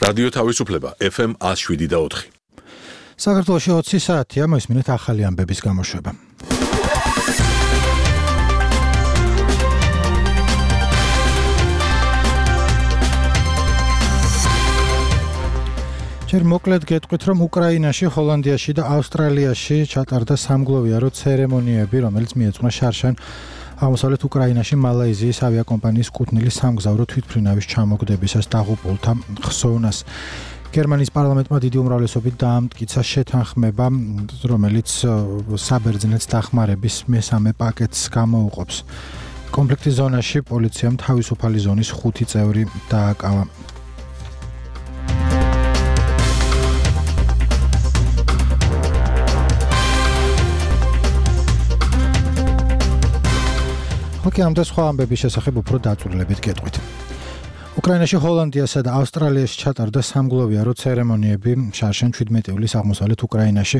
რადიო თავისუფლება FM 107.4. საქართველოში 20 საათია, მოისმინეთ ახალი ამბების გამოშვება. ჯერ მოკლედ გეტყვით, რომ უკრაინაში, ჰოლანდიაში და ავსტრალიაში ჩატარდა სამგლოვიარო ცერემონიები, რომელიც მიეძღვნა შარშან აღმოსავლეთ უკრაინაში მალაიზიის ავიაკომპანიის კუთვნილი სამგზავრო თვითმფრინავის ჩამოგდებისას დაღუპულთა ხსოვნას. გერმანიის პარლამენტმა დიდი უმრავლესობით დაამტკიცა შეთანხმება, რომელიც საბერძნეთს დახმარების მესამე პაკეტს გამოუყოფს. კონფლიქტის ზონაში პოლიციამ თავისუფალი ზონის 5 წევრი დააკავა. ამ და სხვა ამბების შესახებ უფრო დაწვრილებით გეტყვით. უკრაინაში, ჰოლანდიასა და ავსტრალიაში ჩატარდა სამგლოვიარო ცერემონიები შარშან 17 ივლისს აღმოსავლეთ უკრაინაში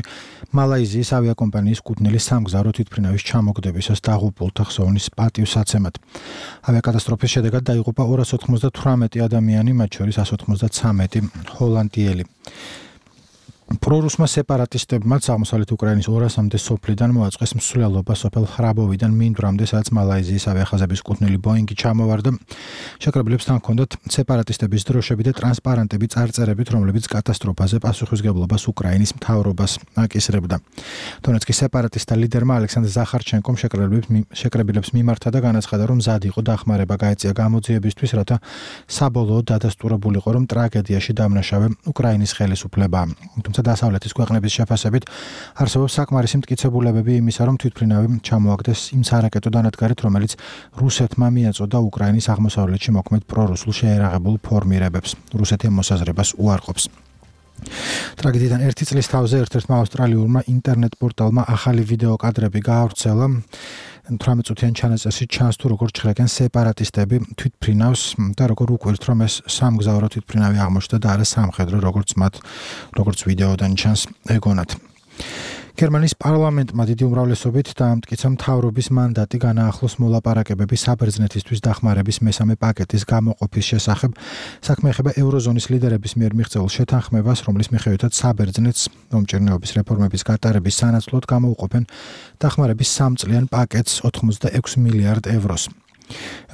მალაიზიის ავიაკომპანიის კუთვნილი სამგზავრო თვითმფრინავის ჩამოგდებისას დაღუპულთა ხსოვნის პატივსაცემად. ავიაკატასტროფის შედეგად დაიღუპა 298 ადამიანი, მათ შორის 193 ჰოლანდიელი. პრორუსმა სეპარატისტებმა აღმოსავლეთ უკრაინის 200-მდე სოფლიდან მოაწყეს მსვლელობა სოფელ ხრაბოვიდან მინდვრამდე, სადაც მალაიზიის ავიახაზების კუთვნილი ბოინგი ჩამოვარდა. შეკრებილებსთან ჰქონდათ სეპარატისტების დროშები და ტრანსპარენტები წარწერებით, რომლებიც კატასტროფაზე პასუხისგებლობას უკრაინის მთავრობას აკისრებდა. დონეცკის სეპარატისტთა ლიდერმა ალექსანდრ ზახარჩენკომ შეკრებილებს მიმართა და განაცხადა, რომ მზად იყო დახმარება გაეწია გამოძიებისთვის, რათა საბოლოოდ დადასტურებულიყო, რომ ტრაგედიაში დამნაშავე უკრაინის ხელისუფლებაა. დასავლეთის ქვეყნების შეფასებით არსებობს საკმარისი მტკიცებულებები იმისა, რომ თვითმფრინავი ჩამოაგდეს იმ სარაკეტო დანადგარით, რომელიც რუსეთმა მიაწოდა უკრაინის აღმოსავლეთში მოქმედ პრორუსულ შეერაღებულ ფორმირებებს. რუსეთი ამ მოსაზრებას უარყოფს. ტრაგედიიდან 1 წლის თავზე ერთ-ერთმა ავსტრალიურმა ინტერნეტ პორტალმა ახალი ვიდეო კადრები გაავრცელა. 18 წუთიან ჩანაწერში ჩანს, თუ როგორ ჩხრეკენ სეპარატისტები თვითმფრინავს და როგორ უკვირთ, რომ ეს სამგზავრო თვითმფრინავი აღმოჩნდა და არა სამხედრო, როგორც ვიდეოდან ჩანს ეგონათ. გერმანიის პარლამენტმა დიდი უმრავლესობით დაამტკიცა მთავრობის მანდატი განაახლოს მოლაპარაკებები საბერძნეთისთვის დახმარების მესამე პაკეტის გამოყოფის შესახებ. საქმე ეხება ევროზონის ლიდერების მიერ მიღწეულ შეთანხმებას, რომლის მიხედვითაც საბერძნეთს მომჭირნეობის რეფორმების გატარების სანაცვლოდ გამოუყოფენ დახმარების 3 წლიან პაკეტს 86 მილიარდ ევროს.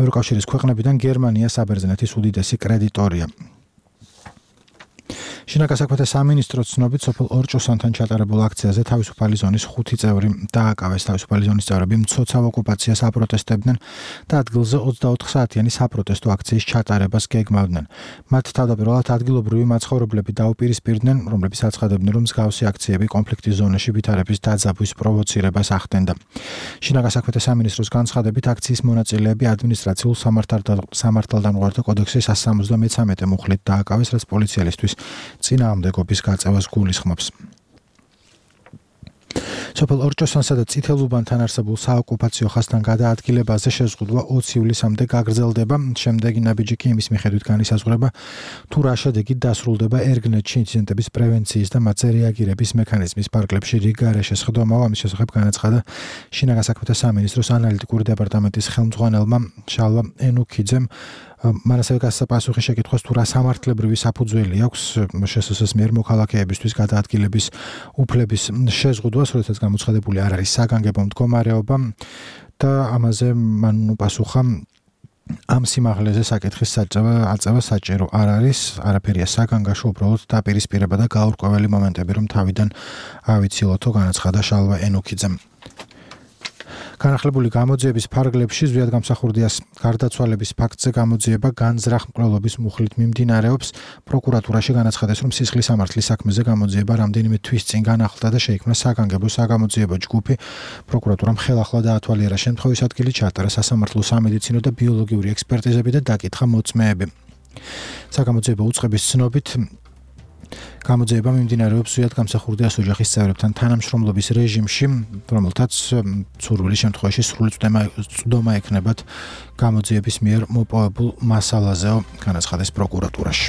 ევროკავშირის ქვეყნებიდან გერმანია საბერძნეთის უდიდესი კრედიტორია. შინაგან საქმეთა სამინისტროს ცნობით, სოფელ ორჭოსანთან ჩატარებულ აქციაზე თავისუფალი ზონის 5 წევრი დააკავეს. თავისუფალი ზონის წევრები მცოცავ ოკუპაციას აპროტესტებდნენ და ადგილზე 24 საათიანი საპროტესტო აქციის ჩატარებას გეგმავდნენ. მათ თავდაპირველად ადგილობრივი მაცხოვრებლები დაუპირისპირდნენ, რომლებიც აცხადებდნენ, რომ მსგავსი აქციები კონფლიქტის ზონაში ვითარების დაძაბვის პროვოცირებას ახდენდა. შინაგან საქმეთა სამინისტროს განცხადებით, აქციის მონაწილეები ადმინისტრაციულ სამართალდამყართა კოდექსის 173 მუხლით დააკავეს, რაც პოლიციელისთვის წინააღმდეგობის გაწევას გულისხმობს. სოფელ ორჭოსანსა და წითელუბანთან არსებულ საოკუპაციო ხაზთან გადაადგილებაზე შეზღუდვა 20 ივლისამდე გაგრძელდება. შემდეგი ნაბიჯი კი იმის მიხედვით განისაზღვრება, თუ რა შედეგით დასრულდება ერგნეთში ინციდენტების პრევენციის და მათზე რეაგირების მექანიზმის ფარგლებში რიგარეშე სხდომაა. ამის შესახებ განაცხადა შინაგან საქმეთა სამინისტროს ანალიტიკური დეპარტამენტის ხელმძღვანელმა შალვა ენუქიძემ. მან ასევე გასცა პასუხი შეკითხვას, თუ რა სამართლებრივი საფუძველი აქვს შსს მიერ მოქალაქეებისთვის გადაადგილების უფლების შეზღუდვას, როდესაც გამოცხადებული არ არის საგანგებო მდგომარეობა და ამაზე მან უპასუხა, ამ სიმაღლეზე საკითხის აწევა საჭირო არ არის, არაფერია საგანგაშო, უბრალოდ დაპირისპირება და გაურკვეველი მომენტები, რომ თავიდან ავიცილოთო, განაცხადა შალვა ენუქიძემ. განახლებული გამოძიების ფარგლებში ზვიად გამსახურდიას გარდაცვალების ფაქტზე გამოძიება განზრახ მკვლელობის მუხლით მიმდინარეობს. პროკურატურაში განაცხადეს, რომ სისხლის სამართლის საქმეზე გამოძიება რამდენიმე თვის წინ განახლდა და შეიქმნა საგანგებო საგამოძიებო ჯგუფი. პროკურატურამ ხელახლა დაათვალიერა შემთხვევის ადგილი, ჩაატარა სასამართლო სამედიცინო და ბიოლოგიური ექსპერტიზები და დაკითხა მოწმეები. საგამოძიებო უწყების ცნობით გამოძიება მიმდინარეობს ზვიად გამსახურდიას ოჯახის წევრებთან თანამშრომლობის რეჟიმში, რომელთაც სურვილი შემთხვევაში სრული წვდომა ექნებათ გამოძიების მიერ მოპოვებულ მასალაზეო, განაცხადეს პროკურატურაში.